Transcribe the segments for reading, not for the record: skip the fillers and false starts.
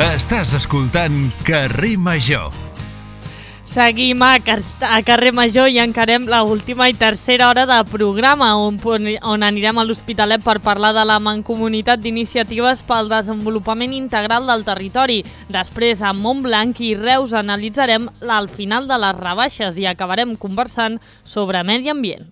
Estàs escoltant Carrer Major. Seguim a Carrer Major i encarem l'última i tercera hora de programa on anirem a l'Hospitalet per parlar de la Mancomunitat d'Iniciatives pel Desenvolupament Integral del Territori. Després, a Montblanc i Reus analitzarem al final de les rebaixes i acabarem conversant sobre medi ambient.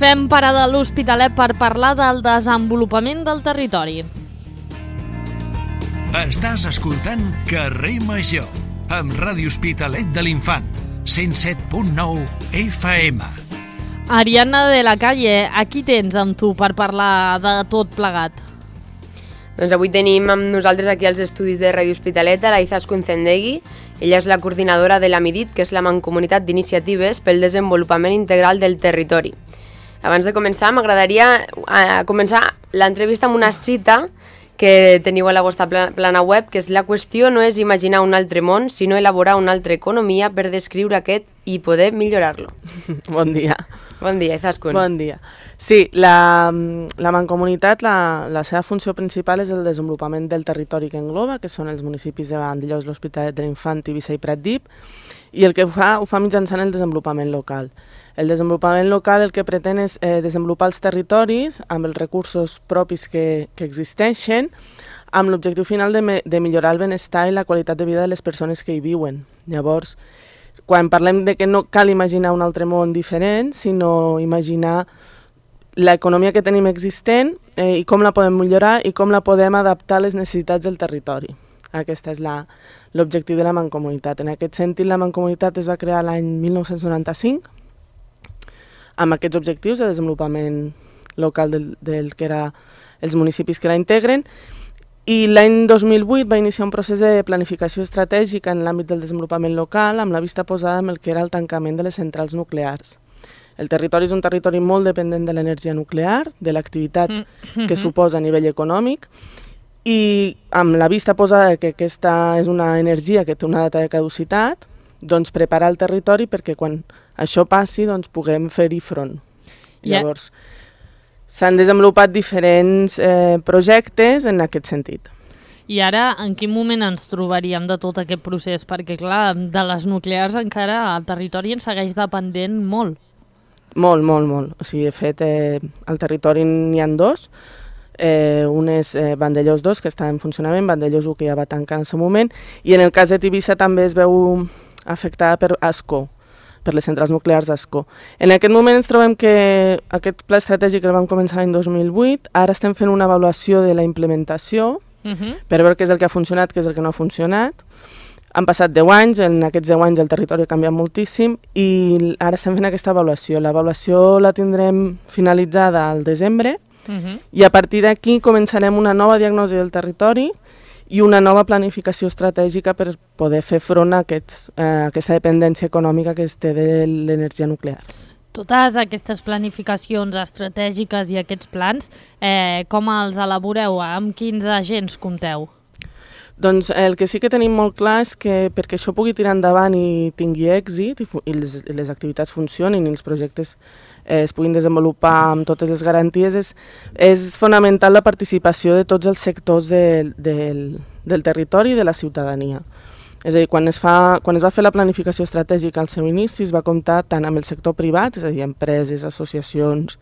Fem parada a l'Hospitalet per parlar del desenvolupament del territori. Estàs escoltant Carrer Major, amb Ràdio Hospitalet de l'Infant, 107.9 FM. Ariadna de la Calle, aquí tens amb tu per parlar de tot plegat. Doncs avui tenim amb nosaltres aquí als estudis de Ràdio Hospitalet a la Izaskun Zendegui. Ella és la coordinadora de la MIDIT, que és la Mancomunitat d'Iniciatives pel Desenvolupament Integral del Territori. Abans de començar, m'agradaria començar l'entrevista amb una cita que teniu a la vostra plana web, que és: la qüestió no és imaginar un altre món, sinó elaborar una altra economia per descriure aquest i poder millorar-lo. Bon dia. Bon dia, Izaskun. Bon dia. Sí, la Mancomunitat, la seva funció principal és el desenvolupament del territori que engloba, que són els municipis de Vandellòs, l'Hospitalet de l'Infant, Tivissa i Pratdip, i el que ho fa mitjançant el desenvolupament local. El desenvolupament local el que pretén és desenvolupar els territoris amb els recursos propis que existeixen, amb l'objectiu final de millorar el benestar i la qualitat de vida de les persones que hi viuen. Llavors, quan parlem de que no cal imaginar un altre món diferent, sinó imaginar l'economia que tenim existent i com la podem millorar i com la podem adaptar a les necessitats del territori. Aquest és l'objectiu de la Mancomunitat. En aquest sentit, la Mancomunitat es va crear l'any 1995 amb aquests objectius de desenvolupament local del que era els municipis que la integren, i l'any 2008 va iniciar un procés de planificació estratègica en l'àmbit del desenvolupament local amb la vista posada en el que era el tancament de les centrals nuclears. El territori és un territori molt dependent de l'energia nuclear, de l'activitat que suposa a nivell econòmic, i amb la vista posada que aquesta és una energia que té una data de caducitat, doncs preparar el territori perquè quan això passi doncs puguem fer-hi front. Llavors, s'han desenvolupat diferents projectes en aquest sentit. I ara, en quin moment ens trobaríem de tot aquest procés? Perquè, clar, de les nuclears encara el territori en segueix dependent molt. Molt, molt, molt. O sigui, de fet, al territori n'hi ha dos. Un és Vandellòs 2, que està en funcionament, Vandellòs 1, que ja va tancar en el seu moment, i en el cas de Tivissa també es veu afectada per Ascó, per les centrals nuclears d'Ascó. En aquest moment ens trobem que aquest pla estratègic el vam començar l'any 2008, ara estem fent una avaluació de la implementació per veure què és el que ha funcionat, què és el que no ha funcionat. Han passat 10 anys, en aquests 10 anys el territori ha canviat moltíssim i ara estem fent aquesta avaluació. L'avaluació la tindrem finalitzada al desembre i a partir d'aquí començarem una nova diagnosi del territori i una nova planificació estratègica per poder fer front a aquesta dependència econòmica que es té de l'energia nuclear. Totes aquestes planificacions estratègiques i aquests plans, com els elaboreu? Amb quins agents compteu? Doncs el que sí que tenim molt clar és que perquè això pugui tirar endavant i tingui èxit i les activitats funcionin i els projectes es puguin desenvolupar amb totes les garanties, és fonamental la participació de tots els sectors del territori i de la ciutadania. És a dir, quan es va fer la planificació estratègica al seu inici es va comptar tant amb el sector privat, és a dir, empreses, associacions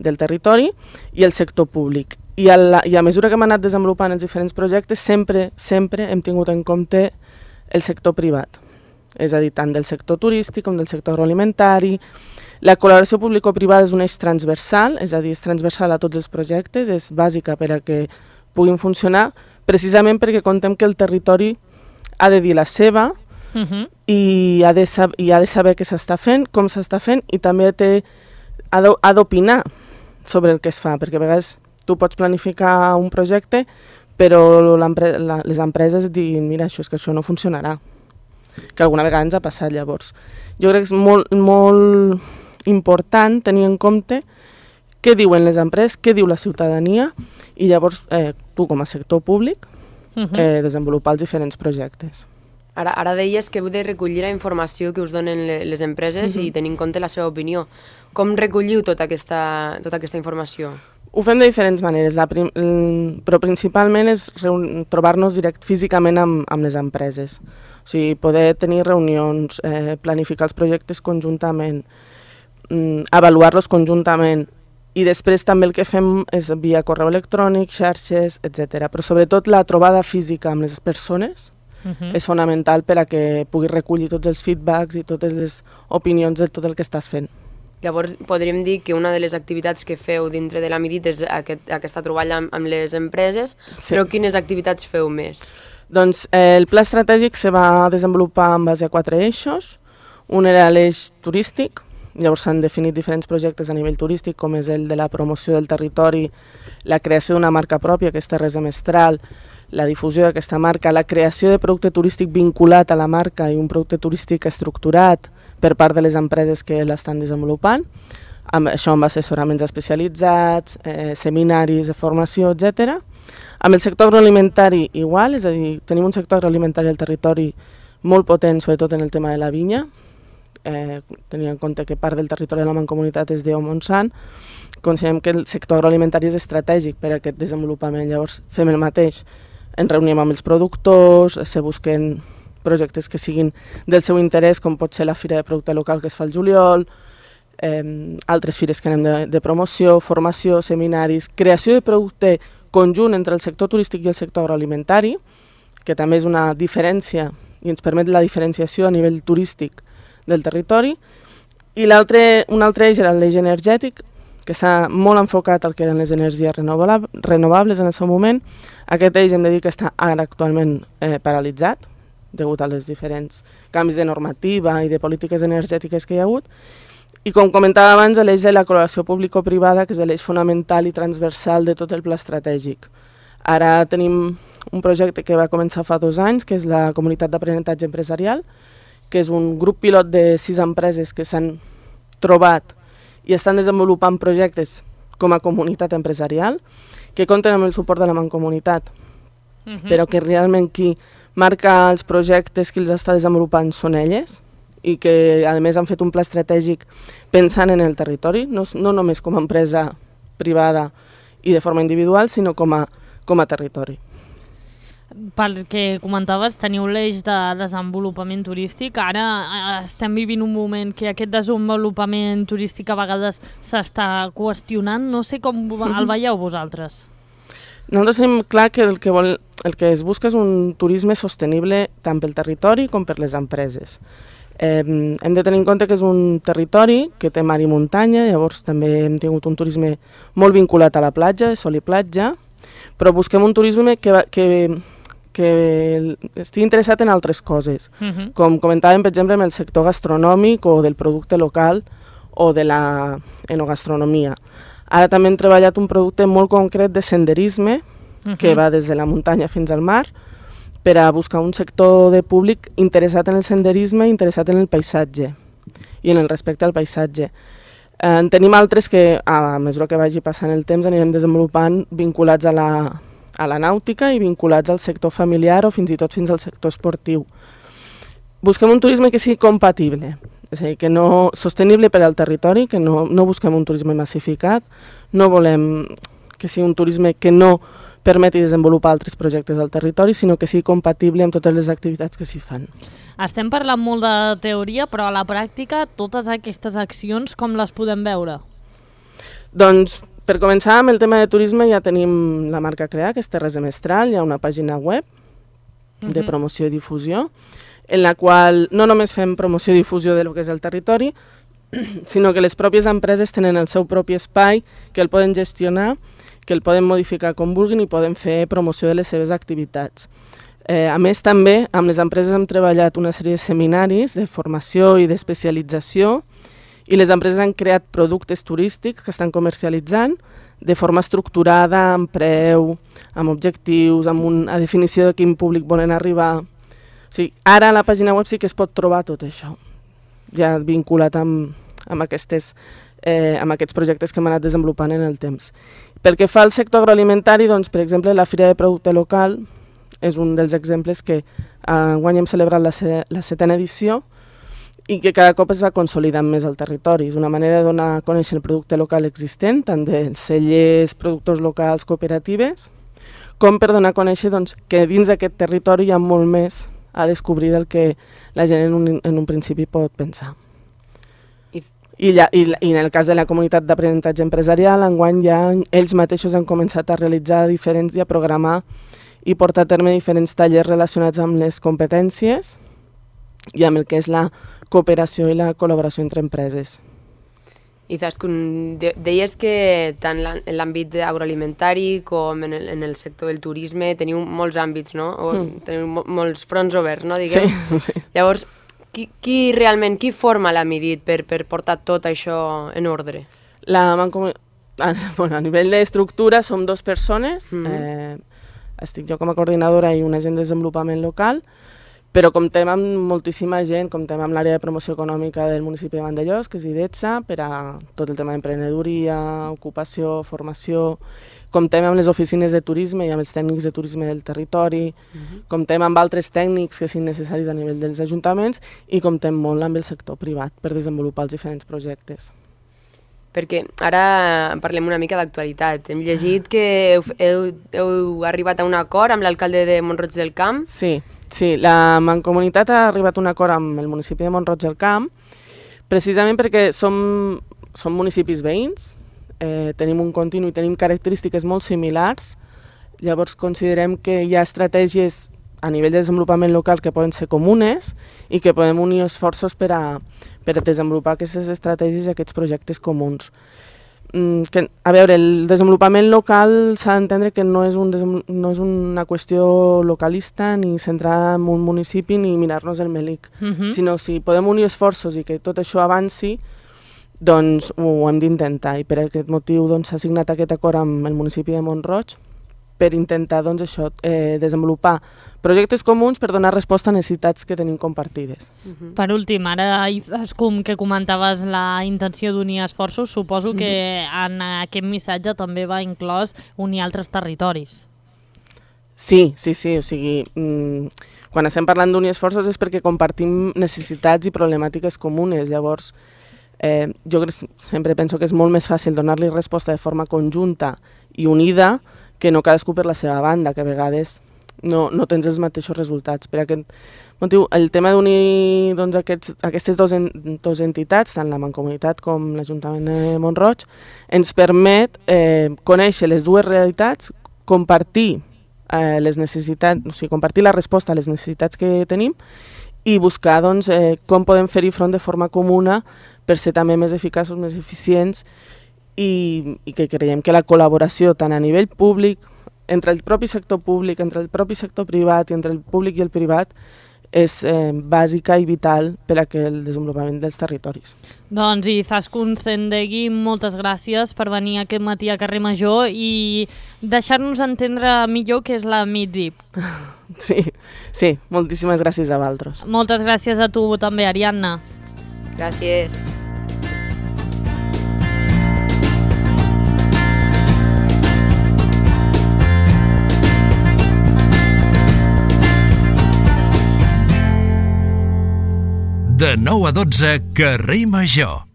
del territori, i el sector públic. I a mesura que hem anat desenvolupant els diferents projectes, sempre hem tingut en compte el sector privat. És a dir, tant del sector turístic com del sector agroalimentari. La col·laboració público-privada és un eix transversal, és a dir, és transversal a tots els projectes, és bàsica per a que puguin funcionar, precisament perquè contem que el territori ha de dir la seva i ha de saber què s'està fent, com s'està fent, i també ha d'opinar sobre el que es fa, perquè a vegades tu pots planificar un projecte, però les empreses diuen, mira, això no funcionarà, que alguna vegada ens ha passat. Llavors jo crec que és molt important tenir en compte què diuen les empreses, què diu la ciutadania, i llavors tu com a sector públic desenvolupar els diferents projectes. Ara deies que heu de recollir la informació que us donen les empreses i tenir en compte la seva opinió. Com recolliu tota aquesta informació? Ho fem de diferents maneres, però principalment és trobar-nos físicament amb les empreses. O sigui, poder tenir reunions, planificar els projectes conjuntament, avaluar-los conjuntament, i després també el que fem és via correu electrònic, xarxes, etc. Però sobretot la trobada física amb les persones és fonamental per a que puguis recollir tots els feedbacks i totes les opinions de tot el que estàs fent. Llavors podríem dir que una de les activitats que feu dintre de la Midit és aquesta troballa amb les empreses, però quines activitats feu més? Doncs el pla estratègic se va desenvolupar en base a 4 eixos. Un era l'eix turístic, llavors s'han definit diferents projectes a nivell turístic, com és el de la promoció del territori, la creació d'una marca pròpia, que és Terres de Mestral, la difusió d'aquesta marca, la creació de producte turístic vinculat a la marca i un producte turístic estructurat per part de les empreses que l'estan desenvolupant, això amb assessoraments especialitzats, seminaris de formació, etc. Amb el sector agroalimentari igual, és a dir, tenim un sector agroalimentari al territori molt potent, sobretot en el tema de la vinya, tenint en compte que part del territori de la Mancomunitat és d'Eu Montsant, considerem que el sector agroalimentari és estratègic per a aquest desenvolupament, llavors fem el mateix, ens reunim amb els productors, se busquen projectes que siguin del seu interès, com pot ser la Fira de Producte Local que es fa al juliol, altres fires que anem de promoció, formació, seminaris, creació de producte conjunt entre el sector turístic i el sector agroalimentari, que també és una diferència i ens permet la diferenciació a nivell turístic del territori, i un altre eix era l'eix energètic, que està molt enfocat al que eren les energies renovables en el seu moment. Aquest eix hem de dir que està ara actualment paralitzat, degut a els diferents canvis de normativa i de polítiques energètiques que hi ha hagut. I com comentava abans, l'eix de la col·laboració público-privada, que és l'eix fonamental i transversal de tot el pla estratègic. Ara tenim un projecte que va començar fa 2 anys, que és la Comunitat d'Aprenentatge Empresarial, que és un grup pilot de 6 empreses que s'han trobat i estan desenvolupant projectes com a comunitat empresarial, que compten amb el suport de la Mancomunitat, però que realment qui marca els projectes, qui els està desenvolupant són elles, i que a més han fet un pla estratègic pensant en el territori, no només com a empresa privada i de forma individual, sinó com a territori. Pel que comentaves, teniu l'eix de desenvolupament turístic. Ara estem vivint un moment que aquest desenvolupament turístic a vegades s'està qüestionant. No sé com el veieu vosaltres. Nosaltres tenim clar que el que es busca és un turisme sostenible tant pel territori com per les empreses. Hem de tenir en compte que és un territori que té mar i muntanya, llavors també hem tingut un turisme molt vinculat a la platja, de sol i platja, però busquem un turisme que estigui interessat en altres coses, com comentàvem, per exemple, en el sector gastronòmic o del producte local o de la enogastronomia. Ara també hem treballat un producte molt concret de senderisme, que va des de la muntanya fins al mar, per a buscar un sector de públic interessat en el senderisme, interessat en el paisatge i en el respecte al paisatge. En tenim altres que, a mesura que vagi passant el temps, anirem desenvolupant vinculats a la nàutica i vinculats al sector familiar o fins i tot fins al sector esportiu. Busquem un turisme que sigui compatible, és a dir, que no sostenible per al territori, que no busquem un turisme massificat, no volem que sigui un turisme que no permeti desenvolupar altres projectes al territori, sinó que sigui compatible amb totes les activitats que s'hi fan. Estem parlant molt de teoria, però a la pràctica totes aquestes accions com les podem veure? Doncs, per començar, amb el tema de turisme ja tenim la marca creada, que és Terres de Mestral, hi ha una pàgina web de promoció i difusió, en la qual no només fem promoció i difusió del que és el territori, sinó que les pròpies empreses tenen el seu propi espai, que el poden gestionar, que el poden modificar com vulguin i poden fer promoció de les seves activitats. A més, també, amb les empreses hem treballat una sèrie de seminaris de formació i d'especialització i les empreses han creat productes turístics que estan comercialitzant de forma estructurada, amb preu, amb objectius, amb una definició de quin públic volen arribar. O sigui, ara a la pàgina web sí que es pot trobar tot això, ja vinculat amb aquests projectes que hem anat desenvolupant en el temps. Pel que fa al sector agroalimentari, doncs, per exemple, la Fira de Producte Local és un dels exemples que enguany hem celebrat la 7ª edició i que cada cop es va consolidant més al territori. És una manera de donar a conèixer el producte local existent, tant dels cellers, productors locals, cooperatives, com per donar a conèixer que dins d'aquest territori hi ha molt més a descobrir del que la gent en un principi pot pensar. I en el cas de la comunitat d'aprenentatge empresarial, enguany ja ells mateixos han començat a realitzar i a programar i portar a terme diferents tallers relacionats amb les competències i amb el que és la cooperació i la col·laboració entre empreses. I deies que tant en l'àmbit agroalimentari com en el sector del turisme teniu molts àmbits, no? Teniu molts fronts oberts, no? Diguem. Sí. Llavors, qui forma la Midit per portar tot això en ordre? A nivell d'estructura som 2 persones, estic jo com a coordinadora i un agent de desenvolupament local, però comptem amb moltíssima gent, comptem amb l'àrea de promoció econòmica del municipi de Vandellòs, que és IDETSA, per a tot el tema d'emprenedoria, ocupació, formació. Comptem amb les oficines de turisme i amb els tècnics de turisme del territori, comptem amb altres tècnics que siguin necessaris a nivell dels ajuntaments i comptem molt amb el sector privat per desenvolupar els diferents projectes. Perquè ara parlem una mica d'actualitat. Hem llegit que heu arribat a un acord amb l'alcalde de Mont-roig del Camp. Sí, la Mancomunitat ha arribat a un acord amb el municipi de Mont-roig del Camp, precisament perquè som municipis veïns, tenim un continu i tenim característiques molt similars, llavors considerem que hi ha estratègies a nivell de desenvolupament local que poden ser comunes i que podem unir esforços per a desenvolupar aquestes estratègies i aquests projectes comuns. A veure, el desenvolupament local s'ha d'entendre que no és una qüestió localista ni centrada en un municipi ni mirar-nos el melic, sinó si podem unir esforços i que tot això avanci, doncs ho hem d'intentar, i per aquest motiu s'ha signat aquest acord amb el municipi de Mont-roig per intentar desenvolupar projectes comuns per donar resposta a necessitats que tenim compartides. Per últim, ara, com que comentaves la intenció d'unir esforços, suposo que en aquest missatge també va inclòs unir altres territoris. Sí, o sigui, quan estem parlant d'unir esforços és perquè compartim necessitats i problemàtiques comunes, llavors jo sempre penso que és molt més fàcil donar-li resposta de forma conjunta i unida que no cadascú per la seva banda, que a vegades no tens els mateixos resultats. Per aquest motiu, el tema d'unir aquestes dues entitats, tant la Mancomunitat com l'Ajuntament de Mont-roig, ens permet conèixer les dues realitats, compartir les necessitats, o sigui, compartir la resposta a les necessitats que tenim i buscar com podem fer-hi front de forma comuna per ser també més eficaços, més eficients i que creiem que la col·laboració tant a nivell públic, entre el propi sector públic, entre el propi sector privat i entre el públic i el privat és bàsica i vital per a el desenvolupament dels territoris. Doncs Izaskun Zendegi, moltes gràcies per venir aquest matí a Carrer Major i deixar-nos entendre millor què és la Midit. Sí, moltíssimes gràcies a vosaltres. Moltes gràcies a tu també, Ariadna. Gràcies. De 9 a 12, Carrer Major.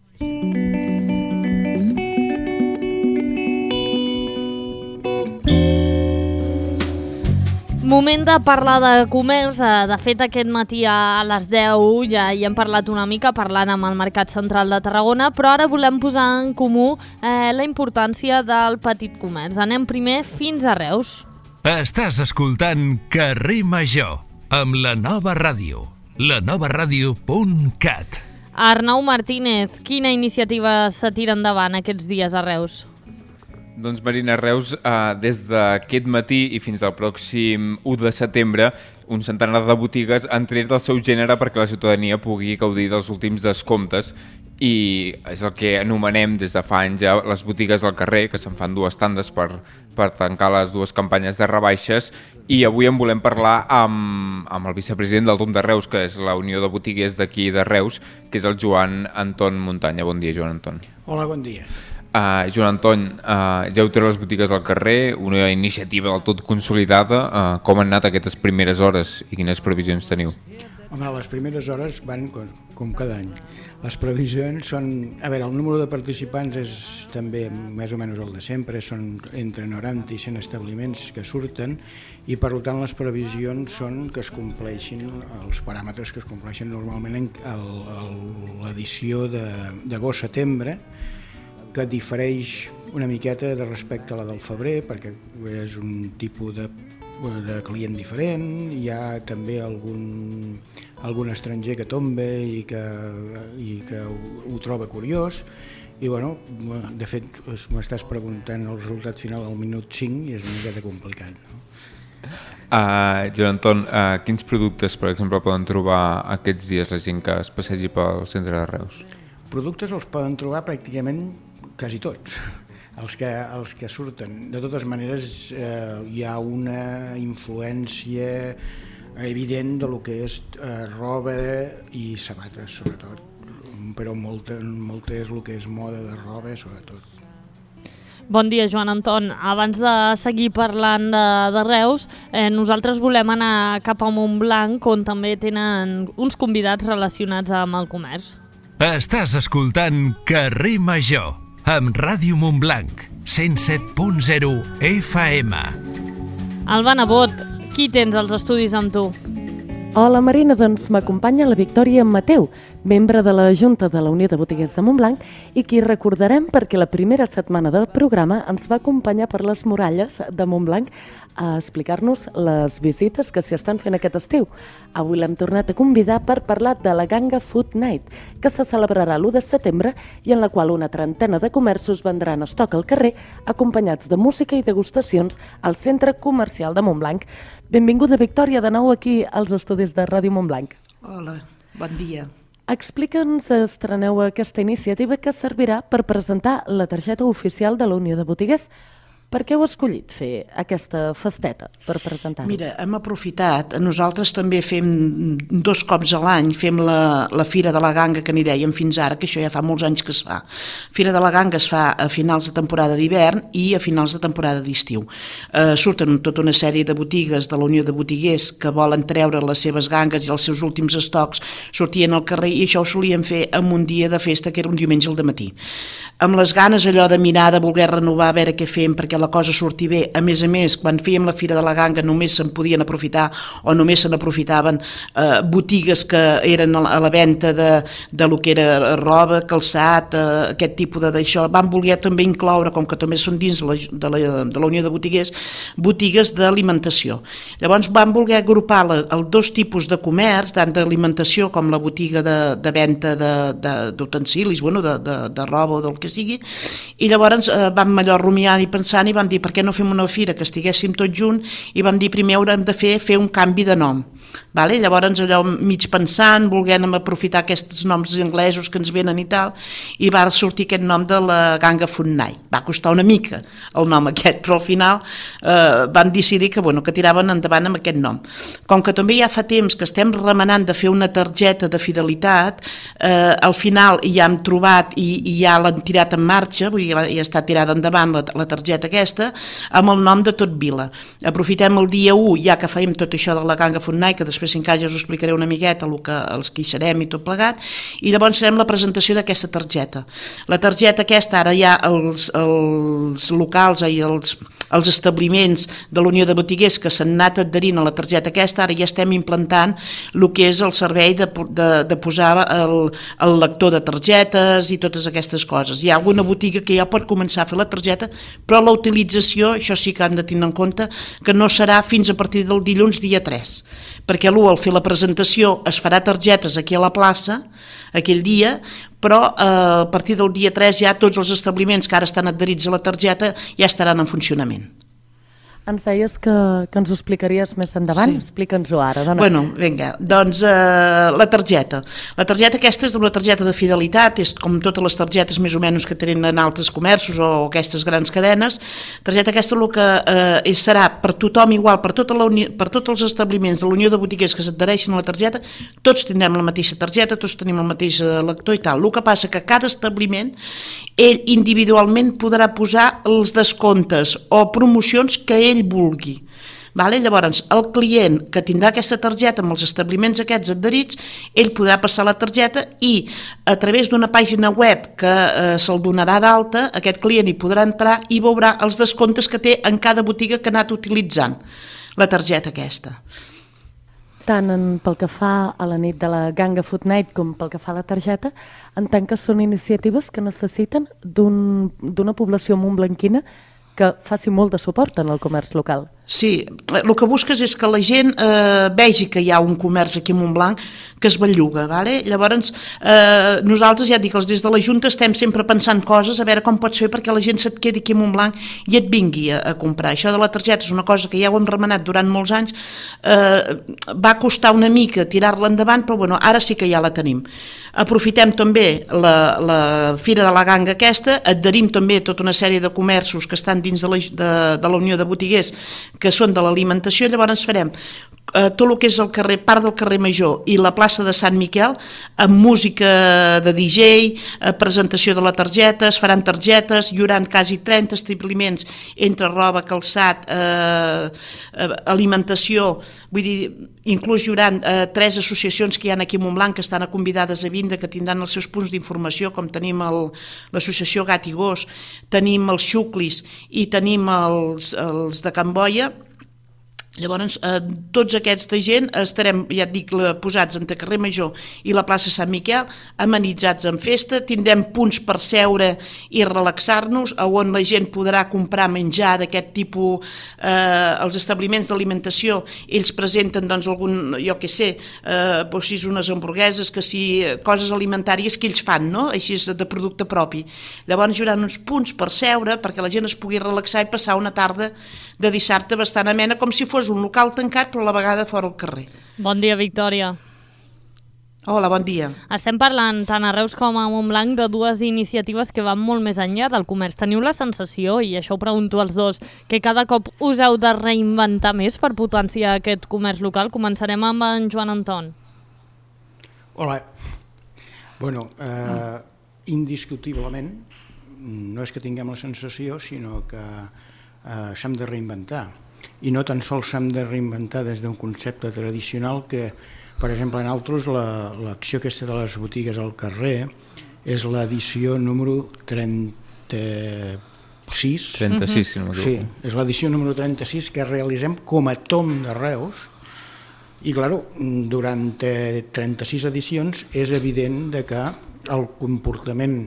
Moment de parlar de comerç. De fet, aquest matí a les 10 ja hi hem parlat una mica parlant amb el Mercat Central de Tarragona, però ara volem posar en comú la importància del petit comerç. Anem primer fins a Reus. Estàs escoltant Carrer Major amb la Nova Ràdio. lanovaradio.cat. Arnau Martínez, quina iniciativa se tira endavant aquests dies a Reus? Doncs Marina, Reus, des d'aquest matí i fins al pròxim 1 de setembre, un centenar de botigues han tret el seu gènere perquè la ciutadania pugui gaudir dels últims descomptes i és el que anomenem des de fa anys ja les botigues al carrer, que se'n fan 2 tandes per tancar les 2 campanyes de rebaixes, i avui en volem parlar amb el vicepresident del TOM de Reus, que és la Unió de Botiguers d'aquí de Reus, que és el Joan Anton Muntanya. Bon dia, Joan Anton. Hola, bon dia. Joan Anton, ja heu tret les botigues al carrer, una iniciativa del tot consolidada. Com han anat aquestes primeres hores i quines previsions teniu? Home, les primeres hores van com cada any. Les previsions són... A veure, el número de participants és també més o menys el de sempre, són entre 90 i 100 establiments que surten i per tant les previsions són que es compleixin els paràmetres que es compleixen normalment en l'edició d'agost-setembre, que difereix una miqueta de respecte a la del febrer, perquè és un tipus de client diferent, hi ha també algun estranger que tomba i que ho troba curiós, i bueno, de fet m'estàs preguntant el resultat final al minut 5 i és una miqueta complicat, no? Joan Anton, quins productes, per exemple, poden trobar aquests dies la gent que es passegi pel centre de Reus? Productes els poden trobar pràcticament quasi tots. Els que surten. De totes maneres, hi ha una influència evident de lo que és roba i sabates, sobretot, però molt és el que és moda de roba, sobretot. Bon dia, Joan Anton. Abans de seguir parlant de Reus, nosaltres volem anar cap a Montblanc, on també tenen uns convidats relacionats amb el comerç. Estàs escoltant Carrer Major, amb Ràdio Montblanc, 107.0 FM. Alba Nebot, qui tens als estudis amb tu? Hola Marina, doncs m'acompanya la Victòria Mateu, membre de la Junta de la Unió de Botiguers de Montblanc i qui recordarem perquè la primera setmana del programa ens va acompanyar per les muralles de Montblanc a explicar-nos les visites que s'hi estan fent aquest estiu. Avui l'hem tornat a convidar per parlar de la Ganga Food Night, que se celebrarà l'1 de setembre i en la qual una trentena de comerços vendran estoc al carrer acompanyats de música i degustacions al Centre Comercial de Montblanc. Benvinguda, Victòria, de nou aquí als estudis de Ràdio Montblanc. Hola, bon dia. Explica'ns, estreneu aquesta iniciativa que servirà per presentar la targeta oficial de la Unió de Botiguers. Per què heu escollit fer aquesta festeta per presentar-ho? Mira, hem aprofitat, nosaltres també fem 2 cops a l'any, fem la Fira de la Ganga que n'hi dèiem fins ara, que això ja fa molts anys que es fa. Fira de la Ganga es fa a finals de temporada d'hivern i a finals de temporada d'estiu. Surten tota una sèrie de botigues de la Unió de Botiguers que volen treure les seves gangues i els seus últims estocs, sortien al carrer i això ho solíem fer en un dia de festa que era un diumenge al dematí. Amb les ganes allò de mirar, de voler renovar, a veure què fem perquè la cosa surti bé. A més, quan fèiem la Fira de la Ganga només se'n podien aprofitar o només se n'aprofitaven botigues que eren a la venda de lo que era roba, calçat, aquest tipus d'això. Van voler també incloure, com que també són dins de la Unió de Botiguers, botigues d'alimentació. Llavors van voler agrupar els 2 tipus de comerç, tant d'alimentació com la botiga de venda d'utensilis, de roba o del que sigui, i llavors vam allò rumiant i pensant i vam dir per què no fem una fira que estiguéssim tots junts i vam dir primer haurem de fer un canvi de nom. Llavors allò mig pensant, volent aprofitar aquests noms anglesos que ens venen i tal, i va sortir aquest nom de la Ganga Food Night. Va costar una mica el nom aquest, però al final van decidir que tiraven endavant amb aquest nom. Com que també ja fa temps que estem remenant de fer una targeta de fidelitat, al final ja hem trobat i ja l'han tirat en marxa, vull dir, ja està tirada endavant la targeta aquesta, amb el nom de Tot Vila. Aprofitem el dia 1, ja que fèiem tot això de la Ganga Food Night, que després encara ja us explicaré una miqueta els que hi serem i tot plegat, i llavors farem la presentació d'aquesta targeta. La targeta aquesta, ara ja els locals i els establiments de la Unió de Botiguers que s'han anat adherint a la targeta aquesta, ara ja estem implantant el que és el servei de posar el lector de targetes i totes aquestes coses. Hi ha alguna botiga que ja pot començar a fer la targeta, però la utilització, això sí que han de tenir en compte, que no serà fins a partir del dilluns dia 3, perquè al fer la presentació es farà targetes aquí a la plaça aquell dia, però a partir del dia 3 ja tots els establiments que ara estan adherits a la targeta ja estaran en funcionament. Ens deies que ens ho explicaries més endavant, explica'ns-ho ara. Dona. Bueno, vinga, doncs la targeta. La targeta aquesta és una targeta de fidelitat, és com totes les targetes més o menys que tenen altres comerços o aquestes grans cadenes. La targeta aquesta el que serà per tothom igual, per tots els establiments de la Unió de Botiguers que s'adhereixen a la targeta, tots tindrem la mateixa targeta, tots tenim el mateix lector i tal. El que passa que cada establiment, ell individualment podrà posar els descomptes o promocions que ell vulgui. Llavors, el client que tindrà aquesta targeta amb els establiments aquests adherits, ell podrà passar la targeta i a través d'una pàgina web que se'l donarà d'alta, aquest client hi podrà entrar i veurà els descomptes que té en cada botiga que ha anat utilitzant la targeta aquesta. Tant pel que fa a la nit de la Ganga Food Night com pel que fa a la targeta, entenc que són iniciatives que necessiten d'una població montblanquina que faci molt de suport en el comerç local. Sí, el que busques és que la gent vegi que hi ha un comerç aquí a Montblanc que es belluga. Llavors, nosaltres, ja et dic, des de la Junta estem sempre pensant coses, a veure com pot ser perquè la gent se't quedi aquí a Montblanc i et vingui a comprar. Això de la targeta és una cosa que ja ho hem remenat durant molts anys, va costar una mica tirar-la endavant, però bueno, ara sí que ja la tenim. Aprofitem també la Fira de la Ganga aquesta, adherim també tota una sèrie de comerços que estan dins de la Unió de Botiguers que són de l'alimentació, llavors farem tot el que és el carrer, part del carrer Major i la plaça de Sant Miquel, amb música de DJ, presentació de la targeta, es faran targetes, hi haurà quasi 30 establiments entre roba, calçat, alimentació, vull dir, inclús hi haurà 3 associacions que hi ha aquí a Montblanc que estan convidades a vindre, que tindran els seus punts d'informació, com tenim l'associació Gat i Gos, tenim els Xuclis i tenim els de Can Boia. Llavors, tots aquesta gent estarem, ja et dic, posats entre carrer Major i la plaça Sant Miquel, amenitzats en festa, tindrem punts per seure i relaxar-nos, on la gent podrà comprar menjar d'aquest tipus, els establiments d'alimentació, ells presenten algun, jo què sé, unes hamburgueses, coses alimentàries que ells fan, així de producte propi. Llavors hi haurà uns punts per seure perquè la gent es pugui relaxar i passar una tarda de dissabte bastant amena, com si fos un local tancat però a la vegada fora al carrer. Bon dia, Victòria. Hola, bon dia. Estem parlant tant a Reus com a Montblanc de dues iniciatives que van molt més enllà del comerç. Teniu la sensació, i això ho pregunto als dos, que cada cop us heu de reinventar més per potenciar aquest comerç local? Començarem amb en Joan Anton. Hola. Bueno, indiscutiblement, no és que tinguem la sensació, sinó que s'hem de reinventar. I no tan sols s'hem de reinventar des d'un concepte tradicional que, per exemple, en altres, l'acció aquesta de les botigues al carrer és l'edició número 36. 36, si no m'equivoco. Sí, és l'edició número 36 que realitzem com a tom de Reus. I, clar, durant 36 edicions és evident que el comportament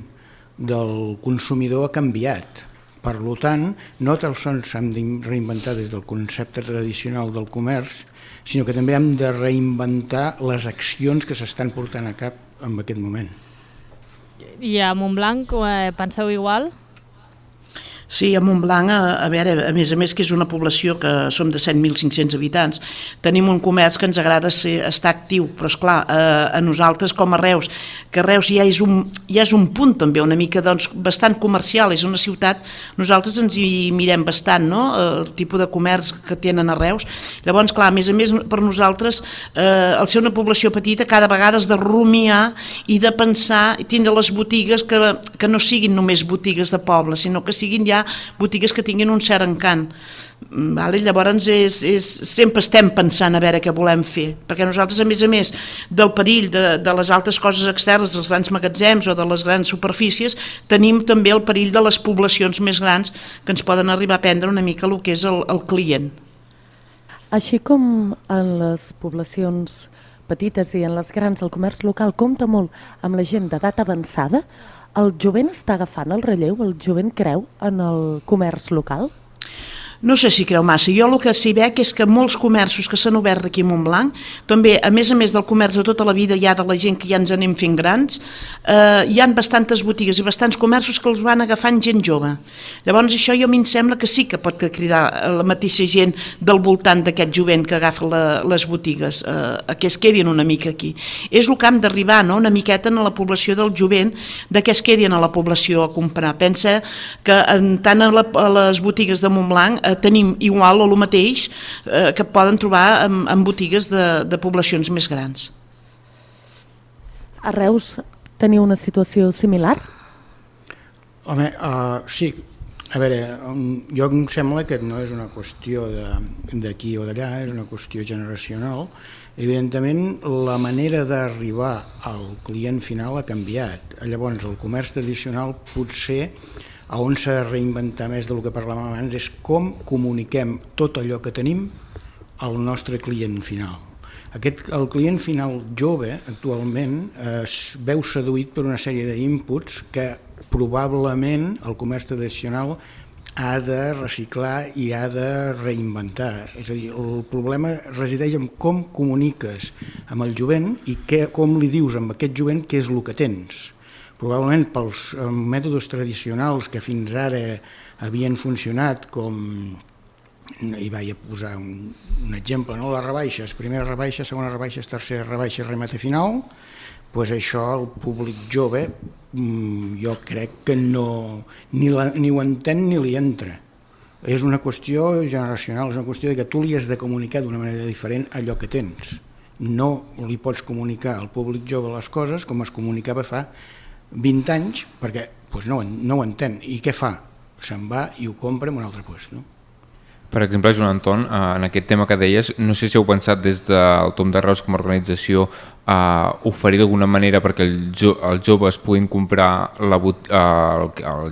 del consumidor ha canviat. Per tant, no tan sols hem de reinventar des del concepte tradicional del comerç, sinó que també hem de reinventar les accions que s'estan portant a cap en aquest moment. I a Montblanc penseu igual? Sí, a Montblanc, a veure, a més que és una població que som de 7.500 habitants, tenim un comerç que ens agrada estar actiu, però esclar, a nosaltres com a Reus, que Reus ja és un punt també una mica bastant comercial, és una ciutat, nosaltres ens hi mirem bastant, el tipus de comerç que tenen a Reus. Llavors, clar, a més per nosaltres, al ser una població petita, cada vegada has de rumiar i de pensar, i tindre les botigues que no siguin només botigues de poble, sinó que siguin ja botigues que tinguin un cert encant. Llavors sempre estem pensant a veure què volem fer, perquè nosaltres a més del perill de les altres coses externes, dels grans magatzems o de les grans superfícies, tenim també el perill de les poblacions més grans que ens poden arribar a prendre una mica el que és el client. Així com en les poblacions petites i en les grans el comerç local compta molt amb la gent d'edat avançada, el jovent està agafant el relleu, el jovent creu en el comerç local? No sé si creu massa. Jo el que s'hi veig és que molts comerços que s'han obert aquí a Montblanc, també, a més del comerç de tota la vida, ja de la gent que ja ens anem fent grans, hi han bastantes botigues i bastants comerços que els van agafant gent jove. Llavors això a mi em sembla que sí que pot cridar la mateixa gent del voltant d'aquest jovent que agafa les botigues, que es quedin una mica aquí. És el que hem d'arribar, no? Una miqueta a la població del jovent, de que es quedin a la població a comprar. Pensa que tant a les botigues de Montblanc tenim igual o el mateix que poden trobar en botigues de poblacions més grans. A Reus teniu una situació similar? Home, sí. A veure, jo em sembla que no és una qüestió d'aquí o d'allà, és una qüestió generacional. Evidentment, la manera d'arribar al client final ha canviat. Llavors, el comerç tradicional potser on s'ha de reinventar més del que parlàvem abans és com comuniquem tot allò que tenim al nostre client final. El client final jove actualment es veu seduït per una sèrie d'inputs que probablement el comerç tradicional ha de reciclar i ha de reinventar. És a dir, el problema resideix en com comuniques amb el jovent i com li dius a aquest jovent què és el que tens. Probablement pels mètodes tradicionals que fins ara havien funcionat, com, i vaig a posar un exemple, no? Les rebaixes, primera rebaixa, segona rebaixa, tercera rebaixa, remate final, doncs això el públic jove jo crec que ni ho entén ni li entra. És una qüestió generacional, és una qüestió que tu li has de comunicar d'una manera diferent allò que tens. No li pots comunicar al públic jove les coses com es comunicava fa 20 anys, perquè no ho entén. I què fa? Se'n va i ho compra en un altre lloc. Per exemple, Joan Anton, en aquest tema que deies, no sé si heu pensat des del Tom de Reus com a organització oferir d'alguna manera perquè els joves puguin comprar el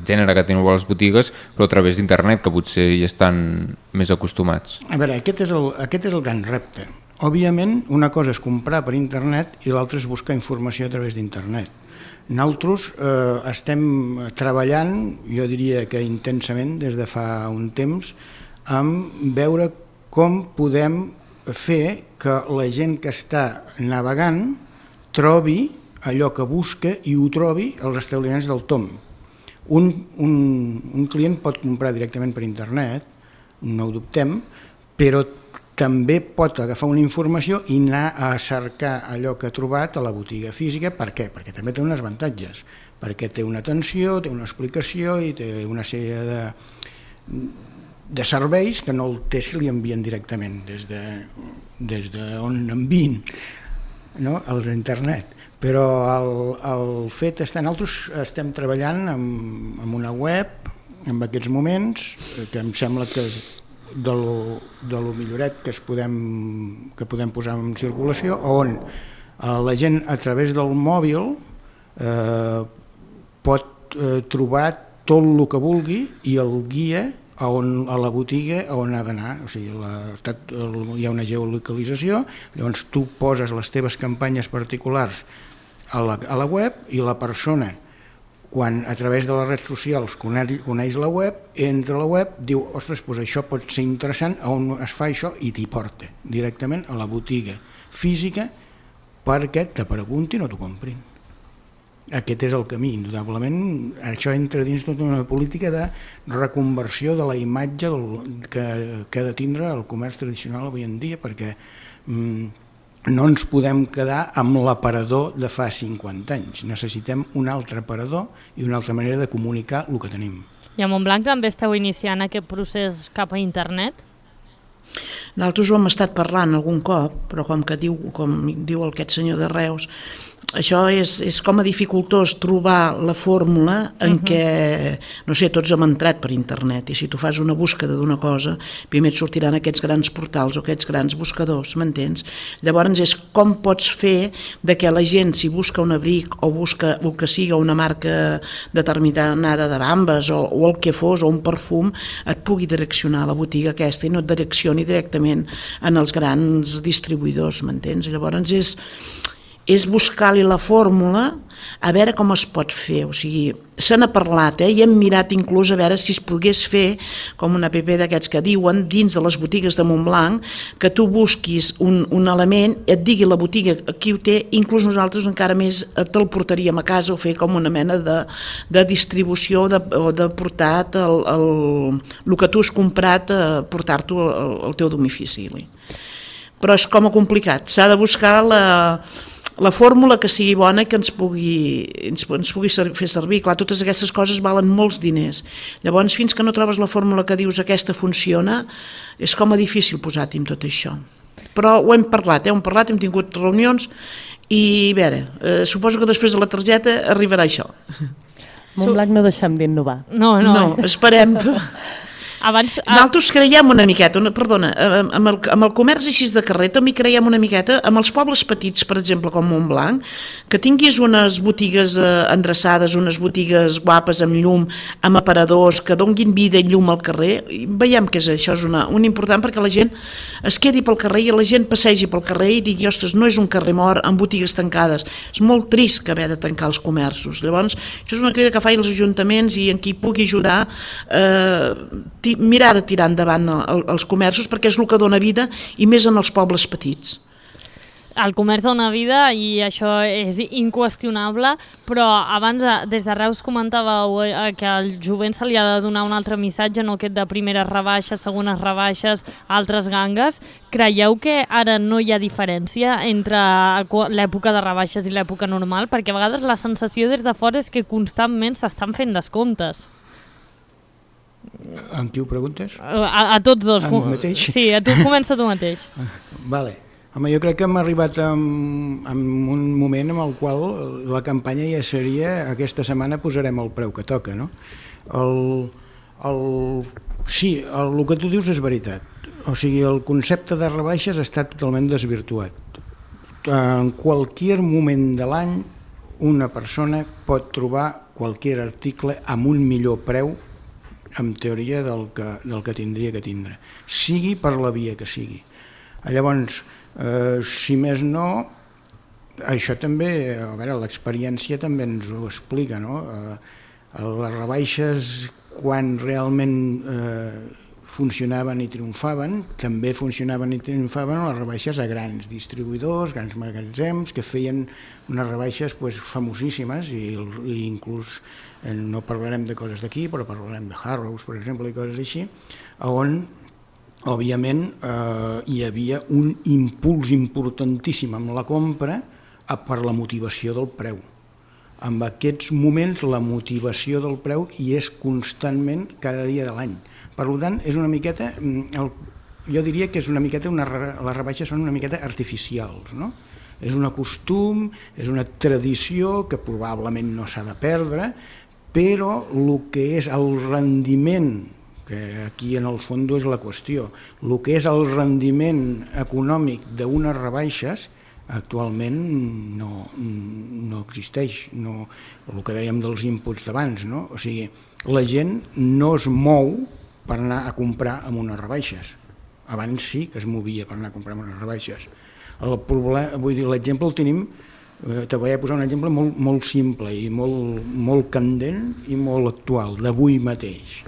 gènere que teniu a les botigues, però a través d'internet, que potser hi estan més acostumats. A veure, aquest és el gran repte. Òbviament, una cosa és comprar per internet i l'altra és buscar informació a través d'internet. Nosaltres estem treballant, jo diria que intensament, des de fa un temps, amb veure com podem fer que la gent que està navegant trobi allò que busca i ho trobi als establiments del Tom. Un client pot comprar directament per internet, no ho dubtem, però també pot agafar una informació i anar a cercar allò que ha trobat a la botiga física. Per què? Perquè també té uns avantatges, perquè té una atenció, té una explicació i té una sèrie de serveis que no el té si li envien directament des d'on envien, als internet. Però el fet està, nosaltres estem treballant amb una web en aquests moments que em sembla que és de lo milloret que podem posar en circulació, on la gent a través del mòbil pot trobar tot el que vulgui i el guia a la botiga on ha d'anar. O sigui, hi ha una geolocalització, llavors tu poses les teves campanyes particulars a la web i la persona, quan a través de les redes socials coneix la web, entra a la web, diu, ostres, doncs això pot ser interessant, on es fa això, i t'hi porta directament a la botiga física perquè te preguntin o t'ho comprin. Aquest és el camí, indudablement. Això entra dins tota una política de reconversió de la imatge que ha de tindre el comerç tradicional avui en dia, perquè no ens podem quedar amb l'aparador de fa 50 anys. Necessitem un altre aparador i una altra manera de comunicar el que tenim. I a Montblanc també esteu iniciant aquest procés cap a internet? Nosaltres ho hem estat parlant algun cop, però com diu aquest senyor de Reus, això és com a dificultós trobar la fórmula en què, no sé, tots hem entrat per internet i si tu fas una búsqueda d'una cosa, primer et sortiran aquests grans portals o aquests grans buscadors, m'entens? Llavors és com pots fer de que la gent, si busca un abric o busca el que siga una marca determinada de bambes o el que fos, o un perfum, et pugui direccionar a la botiga aquesta i no et direccioni directament en els grans distribuïdors, m'entens? Llavors és buscar-li la fórmula a veure com es pot fer. O sigui, se n'ha parlat, i hem mirat inclús a veure si es pogués fer com una app d'aquests que diuen dins de les botigues de Montblanc, que tu busquis un element, et digui la botiga qui ho té, inclús nosaltres encara més te'l portaríem a casa o fer com una mena de distribució o de portar el que tu has comprat, portar-t'ho al teu domicili. Però és com a complicat, s'ha de buscar la fórmula que sigui bona i que ens pugui fer servir. Clar, totes aquestes coses valen molts diners. Llavors, fins que no trobes la fórmula que dius aquesta funciona, és com a difícil posar-t'hi amb tot això. Però ho hem parlat, hem tingut reunions i, a veure, suposo que després de la targeta arribarà això. Montblanc no deixem d'innovar. No, esperem. Nosaltres creiem una miqueta, perdona, amb el comerç així de carrer també creiem una miqueta, amb els pobles petits, per exemple, com Montblanc, que tinguis unes botigues endreçades, unes botigues guapes amb llum, amb aparadors, que donguin vida i llum al carrer, veiem que això és un important perquè la gent es quedi pel carrer i la gent passegi pel carrer i digui, ostres, no és un carrer mort amb botigues tancades. És molt trist que haver de tancar els comerços. Llavors, això és una crida que fan els ajuntaments i en qui pugui ajudar mirar de tirar endavant els comerços perquè és el que dona vida i més en els pobles petits. El comerç dona vida i això és inqüestionable, però abans des de Reus comentàveu que al jovent se li ha de donar un altre missatge, no aquest de primeres rebaixes, segones rebaixes, altres gangues. Creieu que ara no hi ha diferència entre l'època de rebaixes i l'època normal? Perquè a vegades la sensació des de fora és que constantment s'estan fent descomptes. Amb qui ho preguntes? A tots dos. Amb mateix? Sí, a tu comença tu mateix. Vale. Home, jo crec que hem arribat a un moment en el qual la campanya ja seria aquesta setmana posarem el preu que toca, no? Sí, el que tu dius és veritat. O sigui, el concepte de rebaixes està totalment desvirtuat. En qualsevol moment de l'any una persona pot trobar qualsevol article amb un millor preu en teoria del que tindria que tindre, sigui per la via que sigui. Llavors, si més no, això també, a veure, l'experiència també ens ho explica, no? Les rebaixes, quan realment funcionaven i triomfaven, també funcionaven i triomfaven les rebaixes a grans distribuïdors, grans magatzems, que feien unes rebaixes famosíssimes i inclús no parlarem de coses d'aquí, però parlarem de Harrods, per exemple, i coses així, on, òbviament, hi havia un impuls importantíssim amb la compra per la motivació del preu. En aquests moments la motivació del preu hi és constantment cada dia de l'any. Per tant, és una miqueta, jo diria que és una miqueta, les rebaixes són una miqueta artificials, no? És un costum, és una tradició que probablement no s'ha de perdre, però el que és el rendiment, que aquí en el fons és la qüestió, el que és el rendiment econòmic d'unes rebaixes actualment no existeix, el que dèiem dels inputs d'abans, no? O sigui, la gent no es mou per anar a comprar amb unes rebaixes. Abans sí que es movia per anar a comprar amb unes rebaixes. L'exemple el tenim, te voy a posar un exemple molt simple i molt candent i molt actual, d'avui mateix.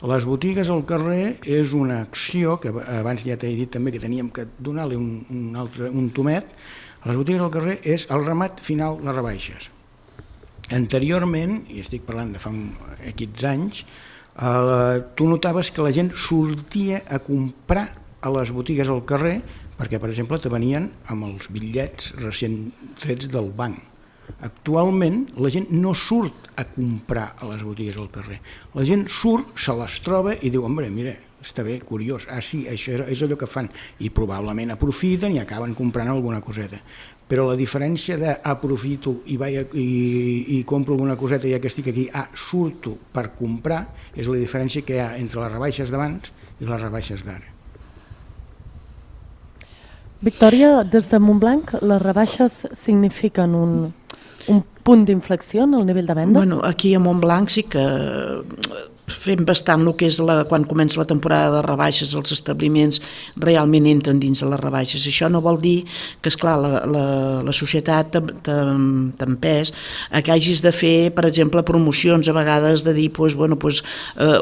Les botigues al carrer és una acció, que abans ja t'he dit també que teníem que donar-li un tomet, les botigues al carrer és el remat final de rebaixes. Anteriorment, i estic parlant de fa aquests anys, tu notaves que la gent sortia a comprar a les botigues al carrer perquè, per exemple, te venien amb els bitllets recent trets del banc. Actualment la gent no surt a comprar a les botigues al carrer. La gent surt, se les troba i diu, home, mira, està bé, curiós, sí, això és allò que fan, i probablement aprofiten i acaben comprant alguna coseta. Però la diferència d'aprofito i compro alguna coseta ja que estic aquí, surto per comprar, és la diferència que hi ha entre les rebaixes d'abans i les rebaixes d'ara. Victòria, des de Montblanc, les rebaixes signifiquen un punt d'inflexió en el nivell de vendes? Bueno, aquí a Montblanc sí que fem bastant el que és quan comença la temporada de rebaixes, els establiments realment entren dins de les rebaixes. Això no vol dir que, esclar, la societat t'empès a que hagis de fer, per exemple, promocions, a vegades de dir,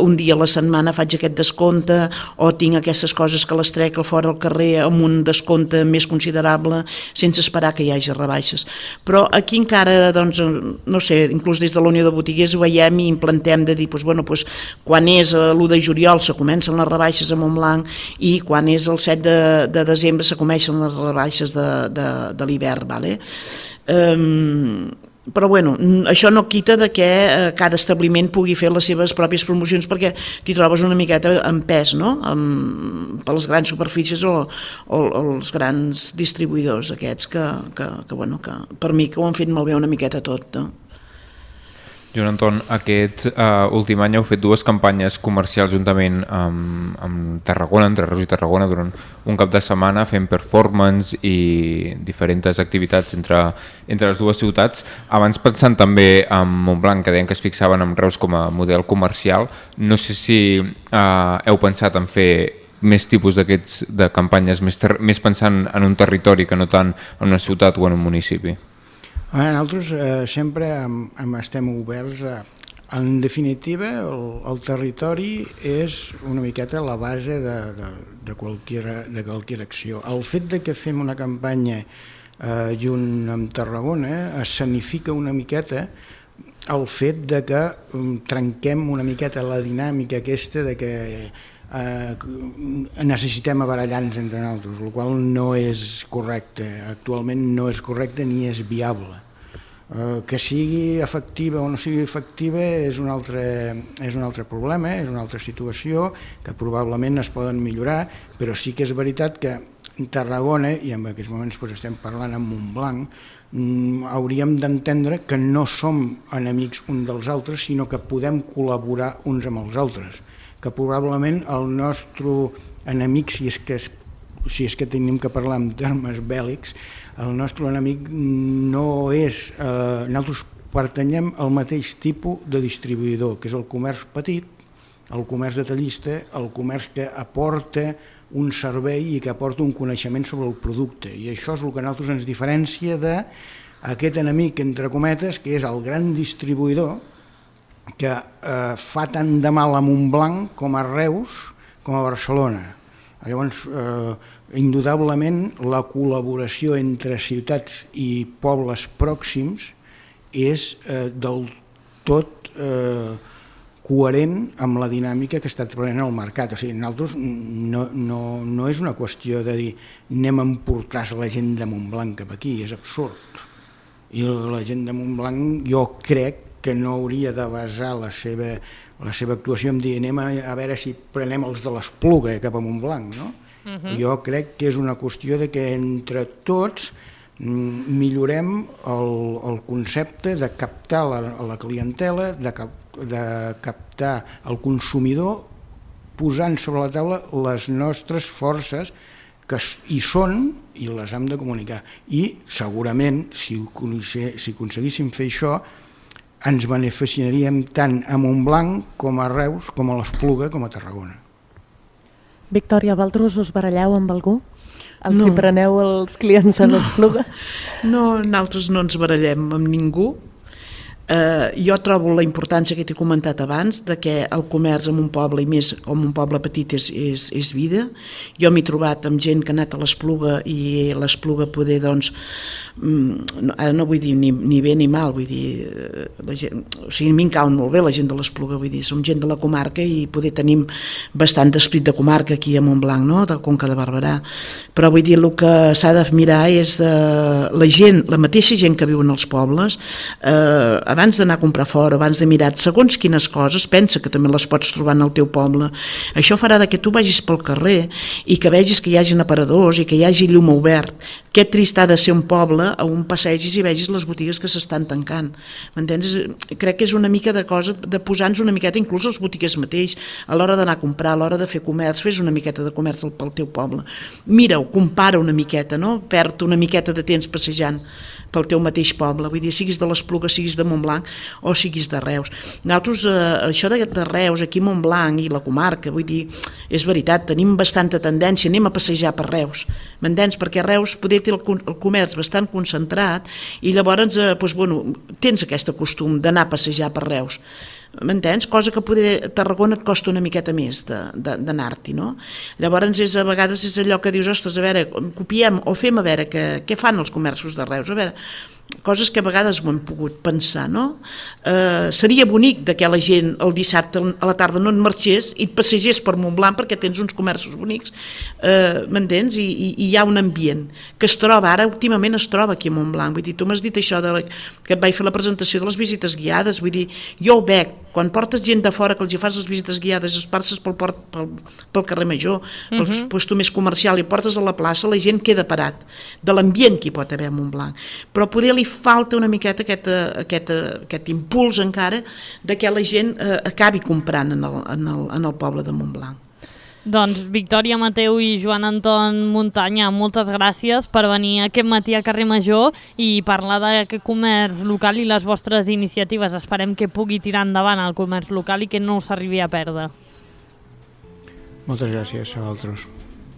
un dia a la setmana faig aquest descompte, o tinc aquestes coses que les trec fora al carrer amb un descompte més considerable, sense esperar que hi hagi rebaixes. Però aquí encara, doncs, no sé, inclús des de la Unió de Botiguers ho veiem i implentem de dir, quan és l'1 de juliol se comencen les rebaixes a Montblanc i quan és el 7 de desembre se comencen les rebaixes de l'hivern, ¿vale? Però això no quita de que cada establiment pugui fer les seves pròpies promocions, perquè t'hi trobes una miqueta en pes, no? Per les grans superfícies o els grans distribuïdors aquests que per mi que ho han fet malbé una miqueta tot, no? Joan Anton, aquest últim any heu fet 2 campanyes comercials juntament amb Tarragona, entre Reus i Tarragona, durant un cap de setmana, fent performance i diferents activitats entre les dues ciutats. Abans, pensant també en Montblanc, que deien que es fixaven en Reus com a model comercial, no sé si heu pensat en fer més tipus de campanyes, més pensant en un territori que no tant en una ciutat o en un municipi. Nosaltres sempre estem oberts a... En definitiva, el territori és una miqueta la base de qualsevol acció. El fet de que fem una campanya junt amb Tarragona escenifica una miqueta el fet de que trenquem una miqueta la dinàmica aquesta de que necessitem abarallar-nos entre nosaltres, el qual no és correcte, actualment no és correcte ni és viable. Que sigui efectiva o no sigui efectiva és un altre problema, és una altra situació que probablement es poden millorar, però sí que és veritat que Tarragona, i en aquests moments estem parlant amb Montblanc, hauríem d'entendre que no som enemics uns dels altres, sinó que podem col·laborar uns amb els altres, que probablement el nostre enemic, si és que tenim que parlar en termes bèl·lics, el nostre enemic no és... Nosaltres pertanyem al mateix tipus de distribuïdor, que és el comerç petit, el comerç detallista, el comerç que aporta un servei i que aporta un coneixement sobre el producte. I això és el que a nosaltres ens diferencia d'aquest enemic, entre cometes, que és el gran distribuïdor que fa tant de mal a Montblanc com a Reus com a Barcelona. Llavors, indudablement, la col·laboració entre ciutats i pobles pròxims és del tot coherent amb la dinàmica que està prenent el mercat. O sigui, nosaltres no és una qüestió de dir anem a emportar la gent de Montblanc cap aquí, és absurd. I la gent de Montblanc jo crec que no hauria de basar la seva actuació en dir anem a veure si prenem els de l'Espluga cap a Montblanc, no? Jo crec que és una qüestió de que entre tots millorem el concepte de captar la clientela, de captar el consumidor, posant sobre la taula les nostres forces que hi són i les hem de comunicar. I segurament, si aconseguíssim fer això, ens beneficiaríem tant a Montblanc com a Reus, com a l'Espluga, com a Tarragona. Victòria, vosaltres us baralleu amb algú? Els hi preneu els clients a l'Espluga? No, nosaltres no ens barallem amb ningú. Jo trobo la importància que t'he comentat abans de que el comerç en un poble, i més com un poble petit, és vida. Jo m'he trobat amb gent que ha anat a l'Espluga i l'Espluga poder, doncs, ara no vull dir ni bé ni mal, vull dir, la gent, o sigui, a mi em cauen molt bé la gent de l'Espluga, vull dir, som gent de la comarca i poder tenim bastant d'esprit de comarca aquí a Montblanc, no?, de Conca de Barberà, però vull dir, el que s'ha de mirar és la gent, la mateixa gent que viu en els pobles, abans d'anar a comprar fora, abans de mirar segons quines coses, pensa que també les pots trobar en el teu poble. Això farà que tu vagis pel carrer i que vegis que hi hagi aparadors i que hi hagi llum obert. Que trist ha de ser un poble on passegis i vegis les botigues que s'estan tancant. M'entens? Crec que és una mica de cosa de posar-nos una miqueta, inclús els botiguers mateix, a l'hora d'anar a comprar, a l'hora de fer comerç, fes una miqueta de comerç pel teu poble. Mira-ho, compara una miqueta, no? Perd una miqueta de temps passejant pel teu mateix poble, vull dir, siguis de l'Espluga, siguis de Montblanc, Montblanc o siguis de Reus. Nosaltres, això de Reus, aquí a Montblanc i la comarca, vull dir, és veritat, tenim bastanta tendència, anem a passejar per Reus, m'entens? Perquè a Reus poder té el comerç bastant concentrat i llavors tens aquest costum d'anar a passejar per Reus, m'entens? Cosa que poder a Tarragona et costa una miqueta més d'anar-t'hi, no? Llavors a vegades és allò que dius, ostres, a veure, copiem o fem a veure què fan els comerços de Reus, a veure, coses que a vegades ho hem pogut pensar, no? Seria bonic que la gent el dissabte a la tarda no et marxés i et passegés per Montblanc perquè tens uns comerços bonics, m'entens? I hi ha un ambient que es troba, ara últimament es troba aquí a Montblanc, vull dir, tu m'has dit això que et vaig fer la presentació de les visites guiades, vull dir, jo ho veig, quan portes gent de fora que els hi fas les visites guiades, es passes pel carrer Major, pel lloc més comercial i portes a la plaça, la gent queda parat de l'ambient que hi pot haver a Montblanc, però poder li falta una miqueta aquest impuls encara de que la gent acabi comprant en el poble de Montblanc. Doncs Victòria Mateu i Joan Anton Muntanya, moltes gràcies per venir aquest matí a Carrer Major i parlar d'aquest comerç local i les vostres iniciatives. Esperem que pugui tirar endavant el comerç local i que no s'arribi a perdre. Moltes gràcies a vosaltres.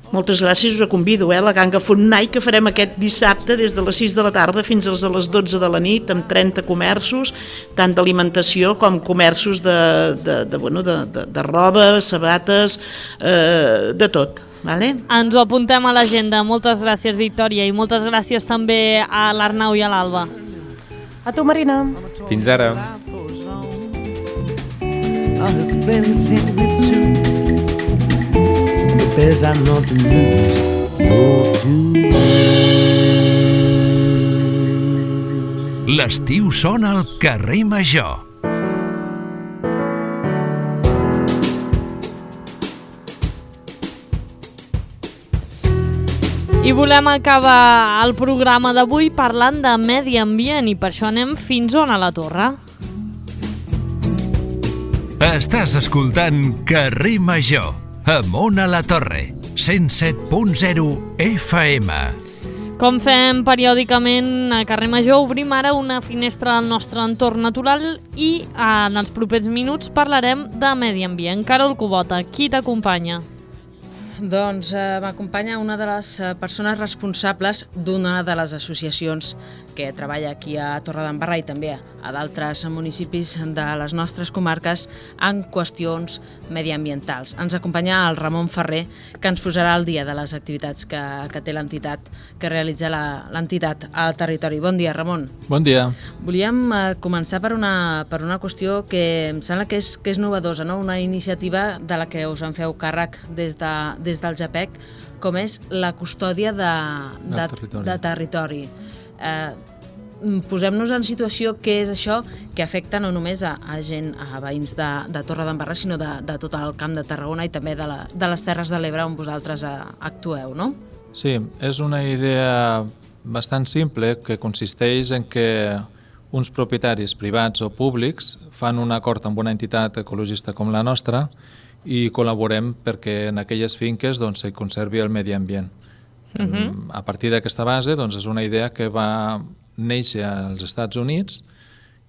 Moltes gràcies, us convido a la Ganga Fontnai que farem aquest dissabte des de les 6 de la tarda fins a les 12 de la nit amb 30 comerços, tant d'alimentació com comerços de roba, sabates, de tot. Vale? Ens ho apuntem a l'agenda. Moltes gràcies, Victòria, i moltes gràcies també a l'Arnau i a l'Alba. A tu, Marina. Fins ara. There's are not to lose, L'estiu sona al carrer Major. I volem acabar el programa d'avui parlant de medi ambient i per això anem fins on a la Torre. Estàs escoltant Carrer Major, amb Ona la Torre, 107.0 FM. Com fem periòdicament a Carrer Major, obrim ara una finestra al nostre entorn natural i en els propers minuts parlarem de medi ambient. Carol Cubota, qui t'acompanya? Doncs m'acompanya una de les persones responsables d'una de les associacions que treballa aquí a Torredembarra i també a d'altres municipis de les nostres comarques en qüestions mediambientals. Ens acompanya el Ramon Ferrer, que ens posarà al dia de les activitats que té l'entitat, que realitza l'entitat al territori. Bon dia, Ramon. Bon dia. Volíem començar per una qüestió que em sembla que és novedosa, no? Una iniciativa de la que us en feu càrrec des del JAPEC, com és la custòdia de territori. Posem-nos en situació què és això que afecta no només a veïns de Torredembarra, sinó de tot el Camp de Tarragona i també de les Terres de l'Ebre on vosaltres actueu, no? Sí, és una idea bastant simple que consisteix en que uns propietaris privats o públics fan un acord amb una entitat ecologista com la nostra i col·laborem perquè en aquelles finques s'hi conservi el medi ambient. A partir d'aquesta base és una idea que va néixer als Estats Units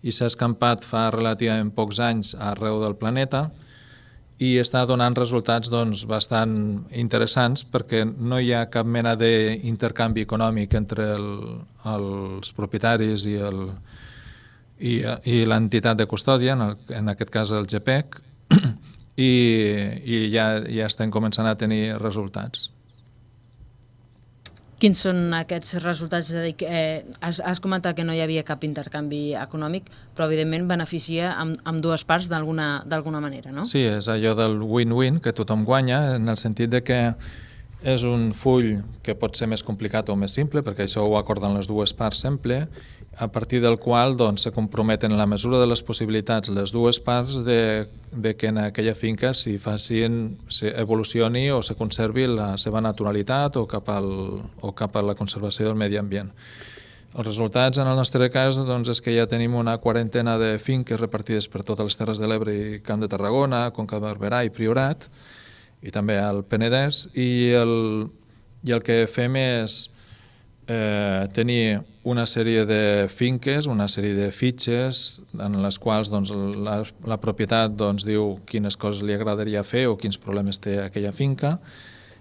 i s'ha escampat fa relativament pocs anys arreu del planeta i està donant resultats bastant interessants perquè no hi ha cap mena d'intercanvi econòmic entre els propietaris i l'entitat de custòdia, en aquest cas el JAPEC, i ja estem començant a tenir resultats. Quins són aquests resultats? És a dir, has comentat que no hi havia cap intercanvi econòmic, però evidentment beneficia amb dues parts d'alguna manera, no? Sí, és allò del win-win, que tothom guanya, en el sentit de que és un full que pot ser més complicat o més simple, perquè això ho acorden les dues parts sempre, a partir del qual se comprometen en la mesura de les possibilitats les dues parts de que en aquella finca evolucioni o se conservi la seva naturalitat o cap a la conservació del medi ambient. Els resultats, en el nostre cas, és que ja tenim una quarantena de finques repartides per totes les Terres de l'Ebre i Camp de Tarragona, Conca de Barberà i Priorat, i també al Penedès, i el que fem és tenir una sèrie de finques, una sèrie de fitxes en les quals doncs, la propietat doncs, diu quines coses li agradaria fer o quins problemes té aquella finca,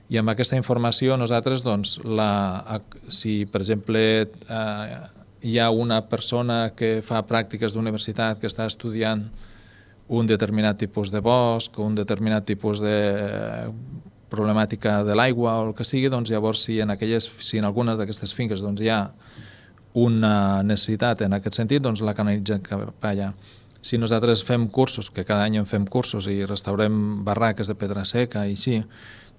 i amb aquesta informació nosaltres, doncs, si per exemple hi ha una persona que fa pràctiques d'universitat que està estudiant un determinat tipus de bosc o un determinat tipus de problemàtica de l'aigua o el que sigui, doncs llavors si en algunes d'aquestes finques doncs, hi ha una necessitat en aquest sentit, doncs la canalitzem cap allà. Si nosaltres fem cursos, que cada any en fem cursos i restaurem barraques de pedra seca i així,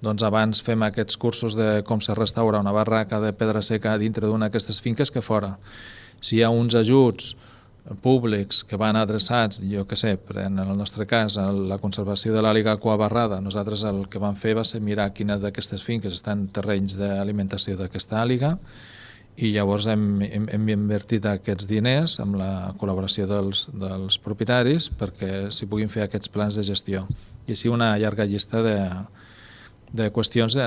doncs abans fem aquests cursos de com se restaura una barraca de pedra seca dintre d'una d'aquestes finques que fora. Si hi ha uns ajuts públics que van adreçats, jo què sé, en el nostre cas, a la conservació de l'àliga aquabarrada, nosaltres el que vam fer va ser mirar quina d'aquestes finques estan en terrenys d'alimentació d'aquesta àliga i llavors hem invertit aquests diners amb la col·laboració dels propietaris perquè s'hi puguin fer aquests plans de gestió. I així una llarga llista de qüestions,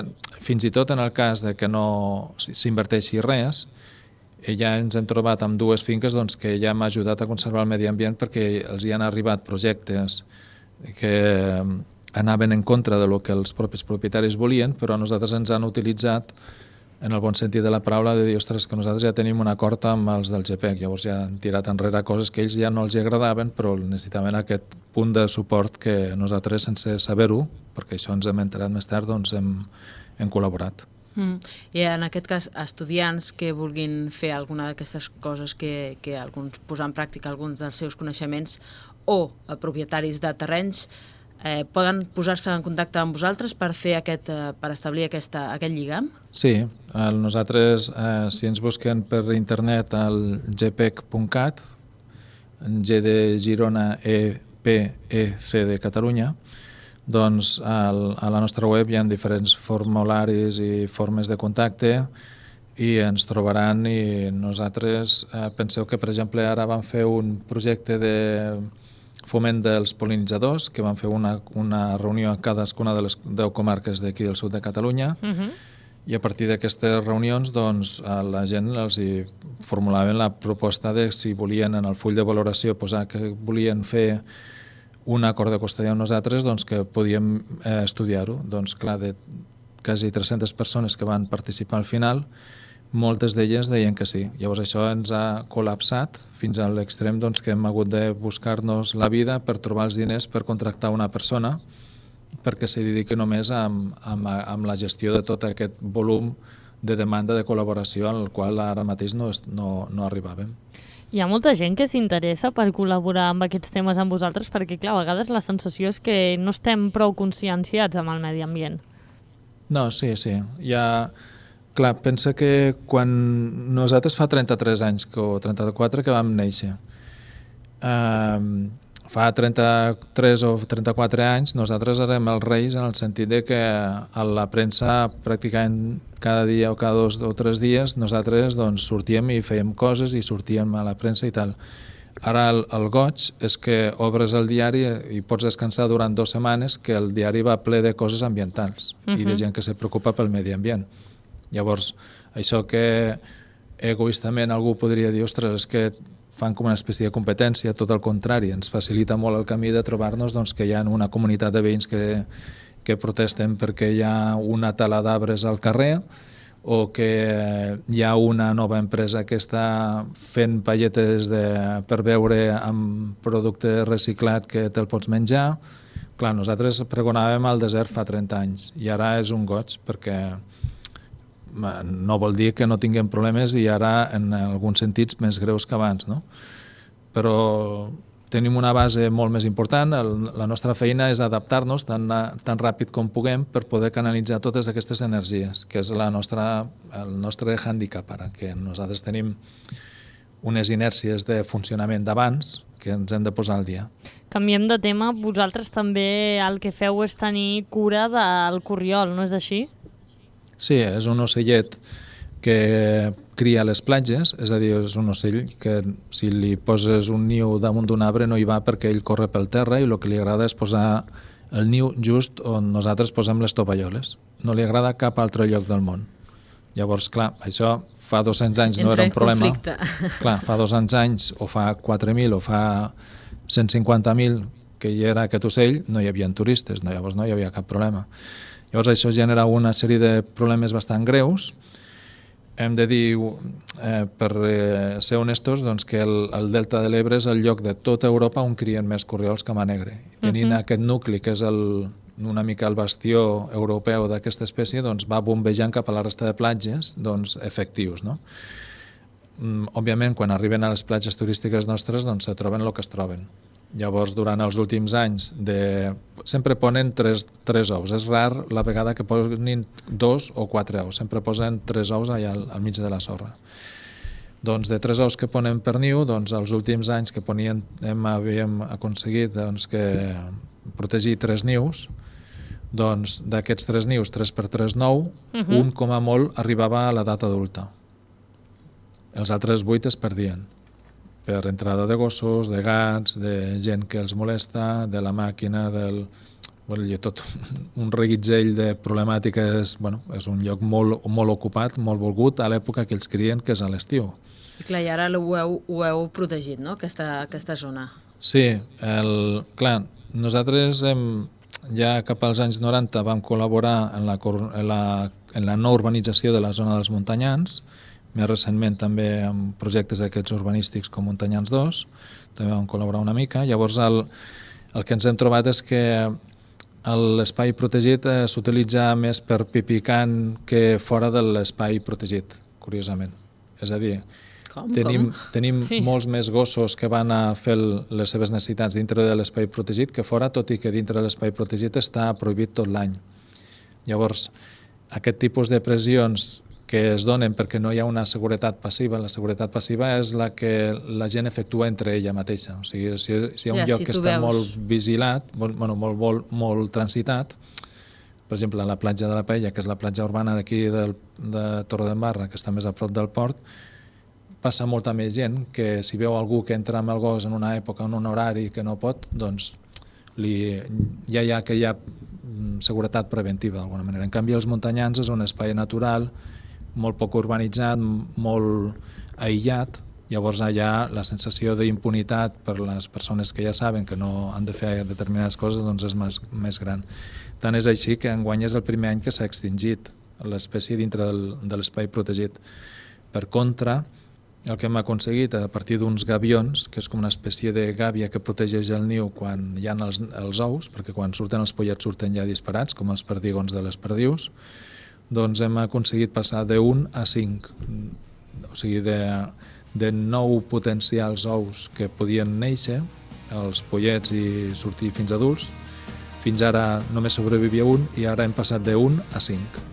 fins i tot en el cas de que no s'inverteixi res, ja ens hem trobat amb dues finques doncs, que ja hem ajudat a conservar el medi ambient perquè els hi han arribat projectes que anaven en contra de lo que els propis propietaris volien, però nosaltres ens han utilitzat en el bon sentit de la paraula de dir, ostres, que nosaltres ja tenim un acord amb els del GPEC, llavors ja han tirat enrere coses que ells ja no els agradaven, però necessitaven aquest punt de suport que nosaltres, sense saber-ho, perquè això ens hem enterat més tard, doncs hem col·laborat. I en aquest cas, estudiants que vulguin fer alguna d'aquestes coses que posar en pràctica alguns dels seus coneixements o propietaris de terrenys poden posar-se en contacte amb vosaltres per fer per establir aquest lligam? Sí, nosaltres, si ens busquen per internet al gpec.cat, G de Girona, E-P-E-C de Catalunya, doncs a la nostra web hi ha diferents formularis i formes de contacte i ens trobaran i nosaltres penseu que, per exemple, ara vam fer un projecte de foment dels pol·linitzadors, que vam fer una reunió a cadascuna de les 10 comarques d'aquí del sud de Catalunya i a partir d'aquestes reunions doncs, a la gent els hi formulaven la proposta de si volien en el full de valoració posar que volien fer un acord de costellà amb nosaltres, doncs que podíem estudiar-ho. Doncs clar, de quasi 300 persones que van participar al final, moltes d'elles deien que sí. Llavors això ens ha col·lapsat fins a l'extrem doncs, que hem hagut de buscar-nos la vida per trobar els diners per contractar una persona perquè se dediqui només amb la gestió de tot aquest volum de demanda de col·laboració al qual ara mateix no arribàvem. Hi ha molta gent que s'interessa per col·laborar amb aquests temes amb vosaltres perquè, clar, a vegades la sensació és que no estem prou conscienciats amb el medi ambient. No, sí. Clar, pensa que quan nosaltres fa 33 anys o 34 que vam néixer, fa 33 o 34 anys nosaltres érem els reis en el sentit de que a la premsa pràcticament cada dia o cada 2 o 3 dies nosaltres doncs, sortíem i fèiem coses i sortíem a la premsa i tal. Ara el goig és que obres el diari i pots descansar durant 2 setmanes que el diari va ple de coses ambientals i de gent que se preocupa pel medi ambient. Llavors, això que egoistament algú podria dir, ostres, és que fan com una espècie de competència, tot el contrari, ens facilita molt el camí de trobar-nos doncs, que hi ha una comunitat de veïns que protesten perquè hi ha una tala d'arbres al carrer o que hi ha una nova empresa que està fent palletes per beure amb producte reciclat que te'l pots menjar. Clar, nosaltres pregonàvem al desert fa 30 anys i ara és un goig perquè no vol dir que no tinguem problemes i ara en alguns sentits més greus que abans, no? Però tenim una base molt més important, la nostra feina és adaptar-nos tan ràpid com puguem per poder canalitzar totes aquestes energies, que és el nostre hàndicap ara, que nosaltres tenim unes inèrcies de funcionament d'abans que ens hem de posar al dia. Canviem de tema, vosaltres també el que feu és tenir cura del corriol, no és així? Sí, és un ocellet que cria a les platges, és a dir, és un ocell que si li poses un niu damunt d'un arbre no hi va perquè ell corre pel terra i el que li agrada és posar el niu just on nosaltres posem les tovalloles. No li agrada cap altre lloc del món. Llavors, clar, això fa 200 anys no era un problema. Clar, fa 200 anys, o fa 4.000, o fa 150.000, que hi era aquest ocell, no hi havia turistes, llavors no hi havia cap problema. Llavors això genera una sèrie de problemes bastant greus. Hem de dir, per ser honestos, doncs, que el Delta de l'Ebre és el lloc de tota Europa on crien més corriols que mà negre. Tenint aquest nucli, que és una mica el bastió europeu d'aquesta espècie, doncs va bombejant cap a la resta de platges efectius. No? Òbviament, quan arriben a les platges turístiques nostres, doncs se troben el que es troben. Llavors, durant els últims anys, sempre ponen 3 ous. És rar la vegada que posin 2 o 4 ous. Sempre posen 3 ous allà al mig de la sorra. Doncs de 3 ous que ponen per niu, doncs els últims anys que havíem aconseguit que protegir 3 nius, doncs d'aquests 3 nius, 3 per 3, 9, un com a molt arribava a l'edat adulta. Els altres 8 es perdien. Per entrada de gossos, de gats, de gent que els molesta, de la màquina, tot un reguitzell de problemàtiques. És un lloc molt ocupat, molt volgut a l'època que ells crien, que és a l'estiu. I clar, i ara ho heu protegit, no?, aquesta zona. Sí, clar, nosaltres ja cap als anys 90 vam col·laborar en la no urbanització de la zona dels Montanyans, més recentment també amb projectes d'aquests urbanístics com Montanyans 2, també vam col·laborar una mica. Llavors el que ens hem trobat és que l'espai protegit s'utilitza més per pipicant que fora de l'espai protegit, curiosament. És a dir, tenim molts més gossos que van a fer les seves necessitats dintre de l'espai protegit que fora, tot i que dintre de l'espai protegit està prohibit tot l'any. Llavors, aquest tipus de pressions que es donen perquè no hi ha una seguretat passiva. La seguretat passiva és la que la gent efectua entre ella mateixa. O sigui, si hi ha un lloc que està molt vigilat, molt transitat, per exemple, a la platja de la Paella, que és la platja urbana d'aquí de Torredembarra, que està més a prop del port, passa molta més gent que si veu algú que entra amb el gos en una època, en un horari que no pot, doncs ja hi ha seguretat preventiva d'alguna manera. En canvi, els Montanyans és un espai natural, molt poc urbanitzat, molt aïllat, llavors hi ha la sensació d'impunitat per les persones que ja saben que no han de fer determinades coses, doncs és més gran. Tant és així que enguany és el primer any que s'ha extingit l'espècie dintre de l'espai protegit. Per contra, el que hem aconseguit a partir d'uns gavions, que és com una espècie de gàbia que protegeix el niu quan hi ha els ous, perquè quan surten els pollets surten ja disparats, com els perdigons de les perdius, doncs hem aconseguit passar de 1 a 5, o sigui, de 9 potencials ous que podien néixer, els pollets i sortir fins adults, fins ara només sobrevivia un i ara hem passat de 1 a 5.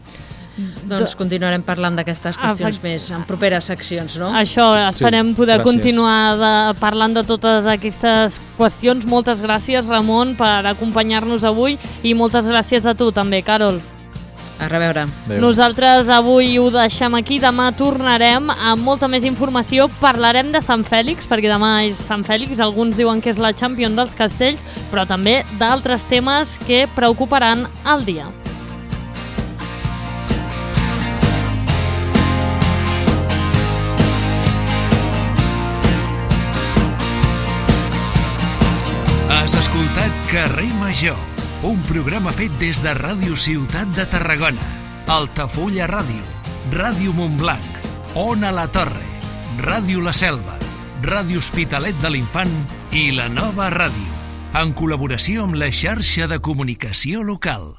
Doncs continuarem parlant d'aquestes qüestions més en properes seccions, no? Això, esperem poder continuar parlant de totes aquestes qüestions. Moltes gràcies, Ramon, per acompanyar-nos avui i moltes gràcies a tu també, Carol. A reveure. Nosaltres avui ho deixem aquí, demà tornarem amb molta més informació, parlarem de Sant Fèlix, perquè demà és Sant Fèlix, alguns diuen que és la Champions dels castells, però també d'altres temes que preocuparan el dia. Has escoltat Carrer Major, un programa fet des de Ràdio Ciutat de Tarragona, Altafulla Ràdio, Ràdio Montblanc, Ona la Torre, Ràdio La Selva, Ràdio Hospitalet de l'Infant i La Nova Ràdio, en col·laboració amb la xarxa de comunicació local.